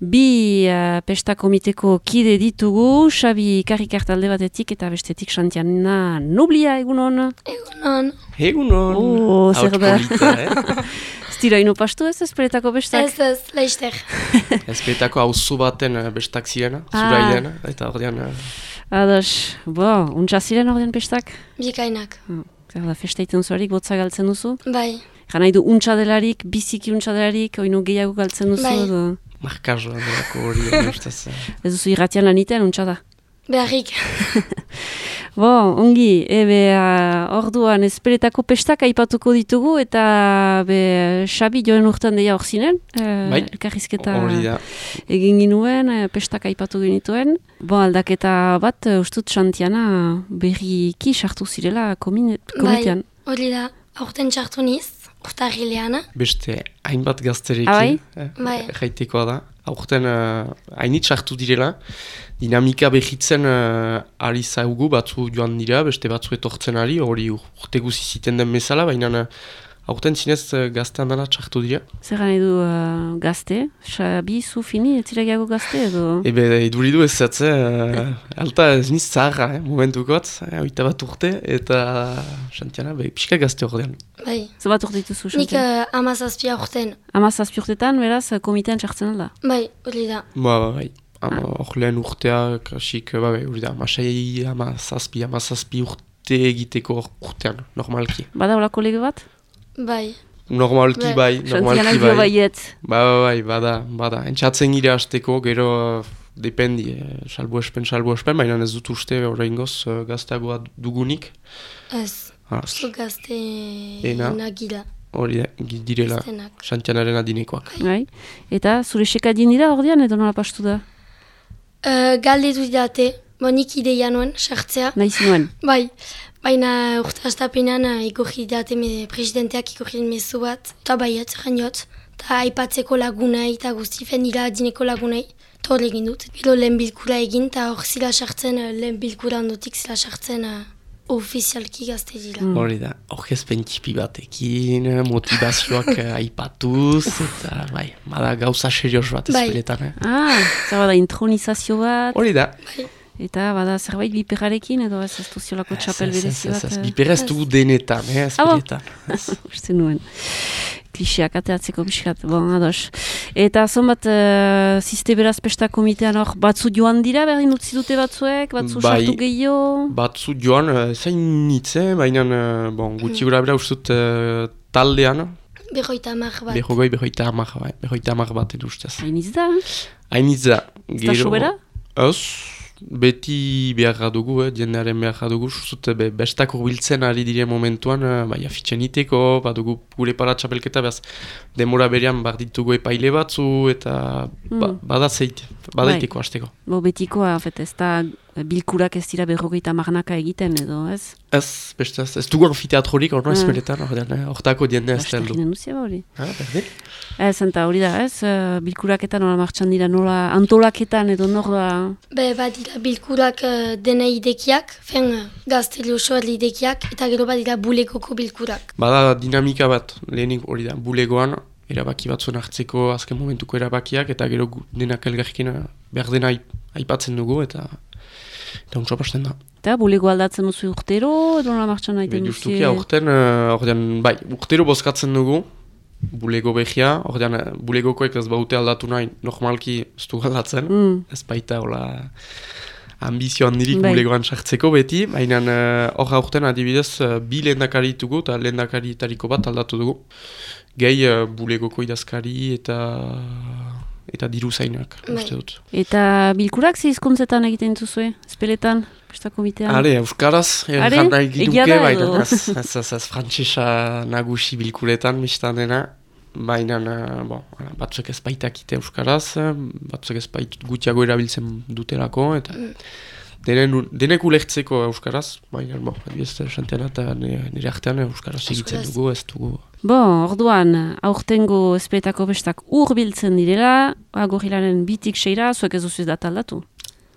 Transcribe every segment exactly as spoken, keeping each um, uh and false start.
Bi uh, pesta komiteko kide ditugu, Xabi Karrikart alde batetik eta bestetik Santiana Noblia, egunon? Egunon. Egunon. Oh, zer da? eh? Ez dira ino pastu ez, ezperetako bestak? Ez ez, laizter. Ezperetako hauzu baten uh, bestak ziren, Ah. zura idena, eta ordean... Uh, Ados, bo, untsa ziren ordean pestak? Bikainak. Zer da, festa iten zuarik, botza galtzen duzu? Bai. Jan nahi du untsa delarik, biziki untsa delarik, oino gehiago galtzen duzu? Bai. Edo? Markazo handelako hori ustez. Ez duzu irratian lanitean untsa da? Beharrik. Bo, ongi, ebe uh, orduan ezperetako pestak aipatuko ditugu eta be Xabi joan urtean deia hor zinen, uh, Bai, elkarrizketa hori da. egin ginuen, uh, pestak aipatu genituen. Bo, aldaketa bat, uh, ustut Santiana berriki sartu zirela komine, komitean. Bai, hori da. Aurten txartu niz, urtarrilean. Beste hainbat gazterekin, Ah, bai? eh, Bai. jaitekoa da. Aurten uh, hainit sartu direla, dinamika behitzen uh, ari zaugu, batzu joan dira, beste batzu etortzen ari, hori urte guzi ziten den bezala, baina uh, aurten zinez uh, gaztean dela txartu dira. Zer gana edu uh, gazte? Xabi, zu fini, ez zira gehiago gazte edo? Ebe, iduridu ez zatze, uh, alta ez niz zaharra, eh, momentukot, eh, oita bat urte, eta Santiana, be, pixka gazte ordean. Bai. Zer bat urte dituzu, Nik Santiana? uh, amazazpia urten. Amazazpi urtetan, beraz, uh, komitean txartzen alda? Bai, hori da. Ba, ba, bai. Ama, hor lehen urtea, kasik, ba, bai, hori da, amasei, amazazpi, amazazpi urte egiteko urtean, normalki. Bada olako lege bat? Bai. Normalki Bai. bai, Santiana normalki dio bai. baiet. Ba, ba, bai, bada, bada. Entxatzen gira hasteko, gero, uh, dependi, eh, salbu espen, salbu espen, baina ez dut uste oraingoz uh, gazteagoa dugunik. Ez. Ah, Zu gazte Ena. nagila. hori da, gi- direla, Gaztenak. Santianaren adinekoak. Bai. Eta zure sekadien dira ordean edo nola pastu da? Uh, galdetu didate, bo nik ideia nuen, sartzea. Nahi zinuen. Bai, baina urte astapenean uh, ikurri didate me, presidenteak ikurri mezu bat, eta baiet, janiot, eta aipatzeko lagunei, eta guzti fendila adineko lagunei, eta hor egin dut. Gero lehen bilkura egin, eta hor zila sartzen, uh, lehen bilkura ondotik zila sartzen uh, ofizialki gazte dira. Mm. Hori da, aurkezpen txipi batekin, motivazioak eh, aipatuz, eta bai, bada gauza serioz bat Bai. ezperetan, eh? Ah, zer bada intronizazio bat, Hori da. eta bada zerbait biperrarekin edo ez ez duziolako txapel Ez, ez, berezi ez, bat. ez, eh? biperez dugu denetan, eh, Ah, bon? ezperetan. Uste nuen. Kliseak ateatzeko pixkat, bon, ados. Eta zonbat, uh, ziste beraz pesta komitean hor, batzu joan dira, berdin utzi dute batzuek, batzu Bai. sartu gehiago. Batzu joan, uh, zain nitze, baina, uh, bon, gutxi gura bera ustut uh, taldean, Berroita hamar bat. behogoi, behoita hamar, bai, behoita hamar bat edo ustez. Hainiz da, Hainitz da. ez da sobera? Ez, beti beharra dugu, eh, jendearen beharra dugu, zut, be, bestak urbiltzen ari dire momentuan, eh, bai, afitzen iteko, badugu gure paratxapelketa, behaz, demora berean barditugu epaile batzu, eta ba, Mm. bada zeit, badaiteko hasteko. Bo betikoa, fet, ez da bilkurak ez dira berrogeita marnaka egiten edo, ez? Ez, beste ez, ez dugu anfiteatrorik, orno ez Ah. beretan, ordean, eh, hortako jende ez da heldu. Bastakinen duzia hori. Ah, berdin? Ez, eta hori da, ez? Uh, bilkuraketan nola martxan dira, nola antolaketan edo nola... Be, badira bilkurak uh, dena idekiak, fen uh, gazteli oso idekiak, eta gero badira bulegoko bilkurak. Bada dinamika bat, lehenik hori da, bulegoan, erabaki batzuen hartzeko azken momentuko erabakiak, eta gero gu- denak elgarrekin behar dena aip- aipatzen dugu, eta eta untsa pasten da. Eta bulego aldatzen duzu urtero, edo nola martxan nahi den Justuki aurten, uh, ordean, bai, urtero bozkatzen dugu, bulego behia, ordean, eh, bulegokoek ez baute aldatu nahi, normalki ez du aldatzen, Mm. ez baita, hola, ambizio handirik Bai. bulegoan sartzeko beti, baina eh, hor aurten adibidez, uh, bi lehendakari ditugu, eta lehendakaritariko bat aldatu dugu, gehi uh, bulegoko idazkari eta eta diru zainak, Bai. uste dut. Eta bilkurak ze hizkuntzetan egiten duzue, espeletan, pesta komitean? Are, euskaraz, Are? erran nahi Egia ginuke, da baina edo? ez, ez, ez, ez frantsesa nagusi bilkuretan, mistan dena, baina, eh, bon, hala, batzuk ez baitakite euskaraz, eh, batzuk ez bait gutxiago erabiltzen dutelako, eta denen, denek ulertzeko euskaraz, baina, bon, adibidez, Santiana eta nire nire artean euskaraz egitzen Euskaraz. dugu, ez dugu. Bo, orduan, aurtengo espetako bestak urbiltzen direla, gorilaren bitik seira, zuek ez duzu data aldatu.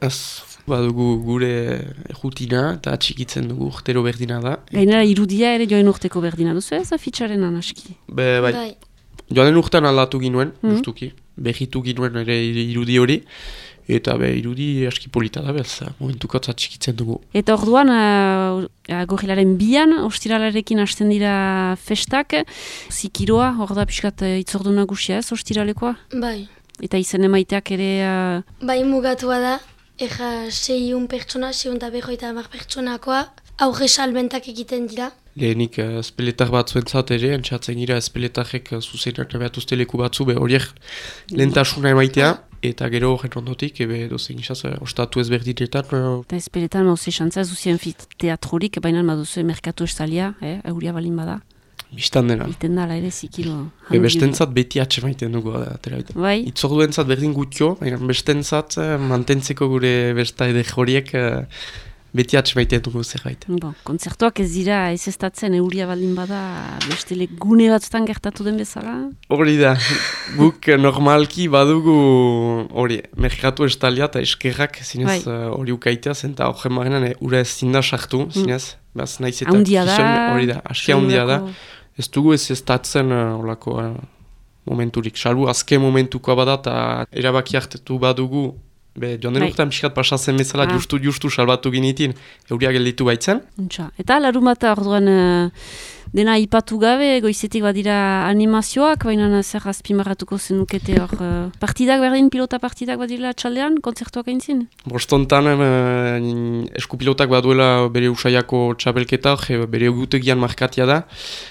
Ez, badugu gure rutina eta txikitzen dugu urtero berdina da. Gainera irudia ere joan urteko berdina duzu ez, afitxaren anaski. Be, bai, Bai. joanen urtean aldatu ginuen, Mhm. justuki. berritu ginuen ere irudi hori, eta be, irudi aski polita da bez, momentuko txikitzen dugu. Eta orduan, uh, gorrilaren bian, ostiralarekin hasten dira festak, zikiroa, hor da pixkat itzordu nagusia ez, ostiralekoa? Bai. Eta izen emaiteak ere... Uh... Bai, mugatua da, ega seiun pertsona, seiun eta berroita hamar pertsonakoa, aurre salbentak egiten dira. Lehenik uh, espeletar batzuentzat ere, entzatzen gira espeletarrek uh, zuzenak nabeatuzte leku batzu, be horiek lehentasuna emaitea, eta gero horren ondotik, ebe dozein izaz, uh, ostatu ezberdinetan. Uh... Eta espeletan mauze xantza, ez duzien teatrorik, baina baduzu merkatu estalia, eh, euria balin bada. Bistan dena. Iten dala ere zikilo. E, bestentzat beti atxe maiten dugu. Atera, bai? Itzorduentzat berdin gutio, baina bestentzat mantentzeko gure besta ede joriek beti atxe maiten dugu zerbait. Bon, kontzertuak ez dira ez estatzen euria baldin bada bestele gune batzutan gertatu den bezala? Hori da, guk normalki badugu hori, merkatu estalia eta eskerrak zinez hori bai. Ukaitea zen eta horren marenan ura ez zinda sartu, zinez. Mm. Baz, naiz eta hori da, aski handia da. Ez dugu ez ez tatzen uh, olako uh, momenturik. Salbu, azken momentukoa bada eta erabaki hartetu badugu. Be, joan den urtean pixkat pasatzen bezala ah. justu, justu salbatu ginitin, euria gelditu baitzen. Untxa. Eta larumata orduan uh, dena ipatu gabe, goizetik badira animazioak, baina zer azpimarratuko zenukete hor. Uh, partidak berdin, pilota partidak badira txaldean, kontzertuak aintzin? Bostontan uh, eskupilotak baduela bere usaiako txapelketa, bere egutegian markatia da,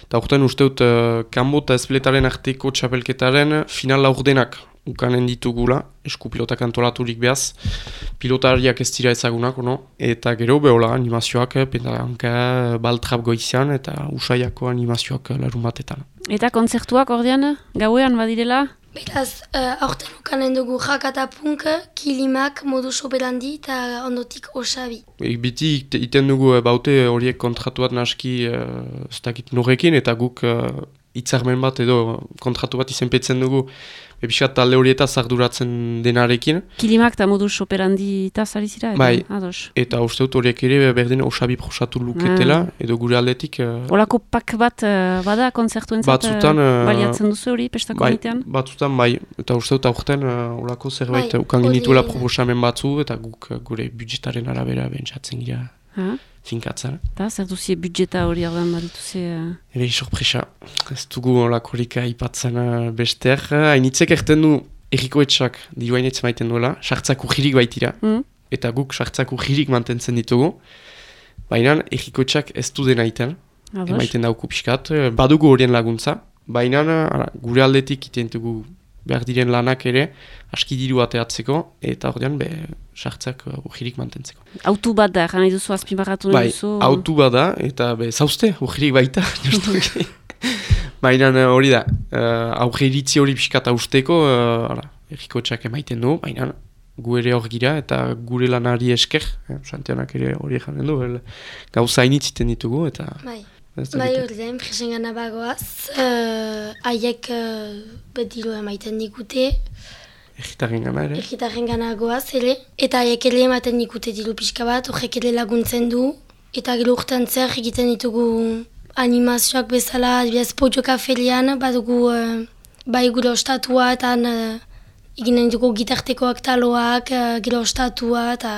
eta urtean usteut uh, kanbo eta espletaren arteko txapelketaren final laurdenak ukanen ditugula, eskupilotak antolaturik behaz, pilotariak ez dira ezagunak, no? Eta gero behola animazioak, pentalanka, baltrap goizian, eta usaiako animazioak larun batetan. Eta kontzertuak ordean, gauean badirela? Beraz, uh, aurten ukanen dugu jakata punk, kilimak, modus operandi eta ondotik osabi. E, biti iten dugu baute horiek kontratu bat naski uh, ez dakit norrekin, eta guk uh, itzarmen bat edo kontratu bat izenpetzen dugu Episkat talde horietaz arduratzen denarekin. Kilimak eta modus operandi eta zari zira? Bai, ados. Eta uste dut horiek ere berdin osabi prosatu luketela, ah. edo gure aldetik... Uh, Olako pak bat uh, bada konzertuentzat uh, baliatzen duzu hori pestako komitean? Bai, batzutan bai, eta uste dut aurten uh, olako zerbait bai, ukan genituela proposamen batzu, eta guk uh, gure budgetaren arabera bentsatzen gira. Ah. Finkatzen. Eta zer duzie budjeta hori ardan badituze? Uh... Ere sorpresa. Ez dugu olakorik aipatzen uh, bester. Hainitzek erten du errikoetxak diru hainitz maiten duela, sartzak urgirik baitira. Mm. Eta guk sartzak urgirik mantentzen ditugu. Baina errikoetxak ez du dena iten. Emaiten dauku pixkat. Badugu horien laguntza. Baina gure aldetik iten dugu behar diren lanak ere, aski diru ateatzeko, eta ordean, be, sartzak urgirik mantentzeko. Autu bat da, gana iduzu azpimarratu bai, duzu? Bai, autu bat da, eta be, zauzte, urgirik baita. Baina hori da, uh, aurre iritzi hori pixkata usteko, uh, erriko txak emaiten du, baina gu ere hor gira, eta gure lanari esker, eh, Santianak ere hori janen du, gauza initziten ditugu, eta... Bai. Bai hori da, enpresen gana bagoaz, haiek uh, uh, betiru emaiten dikute. Egitaren gana ere? Egitaren gana goaz ere. Eta haiek ere ematen dikute diru pixka bat, horrek ere laguntzen du. Eta gero urtean zer egiten ditugu animazioak bezala, adibidez Pojoka ferian, badugu uh, bai gure ostatua, eta uh, eginen dugu gitartekoak taloak, uh, gero ostatua, eta...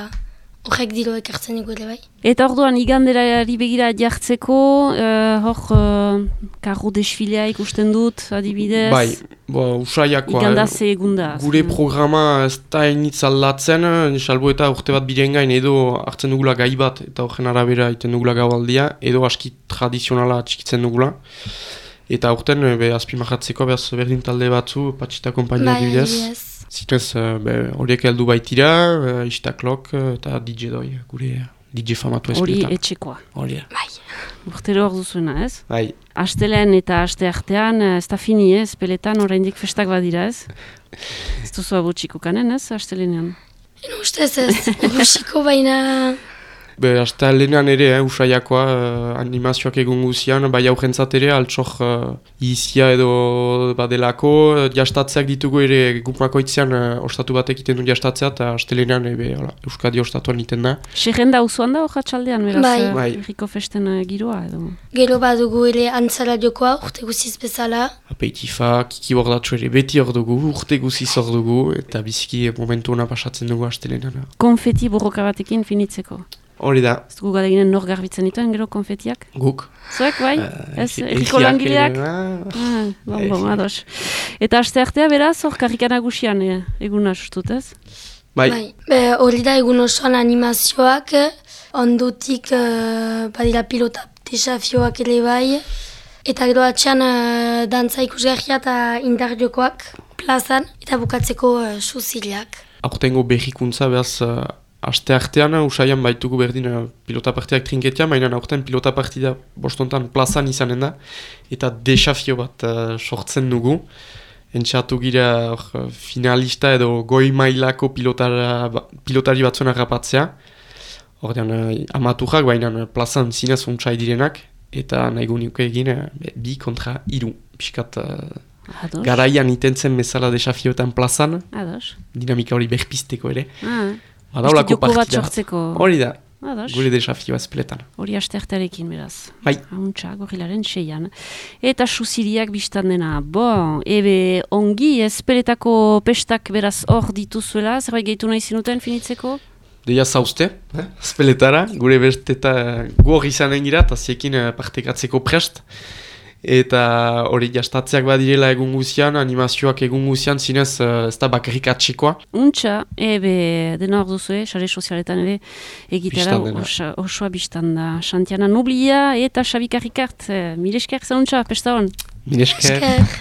Horrek diro ekartzen dugu ere bai. Eta orduan iganderari begira jartzeko, uh, hor uh, karro desfilea ikusten dut, adibidez? Bai, bo, usaiakoa. Igandaz egunda. Gure programa ez da initz aldatzen, salbo eta urte bat biren gain edo hartzen dugula gai bat, eta horren arabera iten dugula gaualdia, edo aski tradizionala txikitzen dugula. Eta urten, be, azpimarratzeko, behaz berdin talde batzu, patxita kompainia adibidez. Bai, adibidez. Zinez, horiek heldu baitira, uh, Istaklok eta D J Doi, gure D J famatu espeletan. Hori etxekoa. Hori. Bai. Urtero hor duzuena, ez? Bai. Astelen eta aste artean, ez da fini, ez? Espeletan oraindik festak badira, ez? Ez duzu abutxiko kanen, ez? Astelenean. Eno ustez ez, abutxiko baina... Be, hasta lehenan ere, eh, usaiakoa, uh, animazioak egun guzian, bai aurrentzat ere, altxor uh, izia edo badelako, uh, jastatzeak ditugu ere gumakoitzean uh, ostatu batek iten du jastatzea, eta hasta lehenan ebe, hola, Euskadi ostatuan iten da. Serrenda usuan da hojatxaldean, beraz, Bai. uh, Bai. herriko festen uh, giroa edo. Gero badugu ere antzara jokoa, urte guziz bezala. Apeitifa, kiki bordatxo ere beti hor dugu, urte guziz hor dugu, eta biziki momentu hona pasatzen dugu hasta lehenan. Konfeti borroka batekin finitzeko. Hori da, Ez dugu galeginen nor garbitzen dituen, gero konfetiak? guk. Zuek, bai? Uh, Ez, erriko langileak? Ah, Ah, bon, bon, ados. Eta aste artea beraz, hor karrikan nagusian e, eguna sustut, ez? bai, Be, hori da egun osoan animazioak, ondotik uh, badira pilota desafioak ere bai, eta gero atxean uh, dantza ikusgarria eta indar jokoak plazan, eta bukatzeko uh, suziliak. aurtengo berrikuntza behaz, uh, aste artean, usaian baitugu berdin uh, pilota partidak trinketia, mainan aurten pilota partida bostontan plazan izanen da, eta desafio bat uh, sortzen dugu. Entxatu gira uh, finalista edo goi mailako pilotara, ba, pilotari batzuen harrapatzea. Ordean, uh, amaturak, baina uh, plazan zinez untsai direnak, eta nahi gunik egin uh, bi kontra iru. Piskat uh, Ados. garaian itentzen bezala desafioetan plazan, Ados. dinamika hori berpisteko ere. Ah, Badaulako joko bat partida. sortzeko. Hori da, Ados. gure desafioa espletan. Hori astertarekin beraz. Bai. Hauntza, gorilaren seian. Eta susiriak biztan dena. Bon, ebe ongi, ezpeletako pestak beraz hor dituzuela, zerbait gehitu nahi zinuten finitzeko? Deia zauzte, eh? Speletara, gure besteta gu hori izanen gira, eta ziekin eh, partekatzeko prest. Eta hori jastatzeak badirela egun guzian, animazioak egun guzian, zinez uh, ez da bakarrik atxikoa. Untxa, ebe dena hor duzu, sare sozialetan ere egitera Bistan dena. osa, osoa biztan da. Xantiana Nublia eta Xabi Karrikart, eh, mile esker zauntza, pesta hon. Minesker. Esker.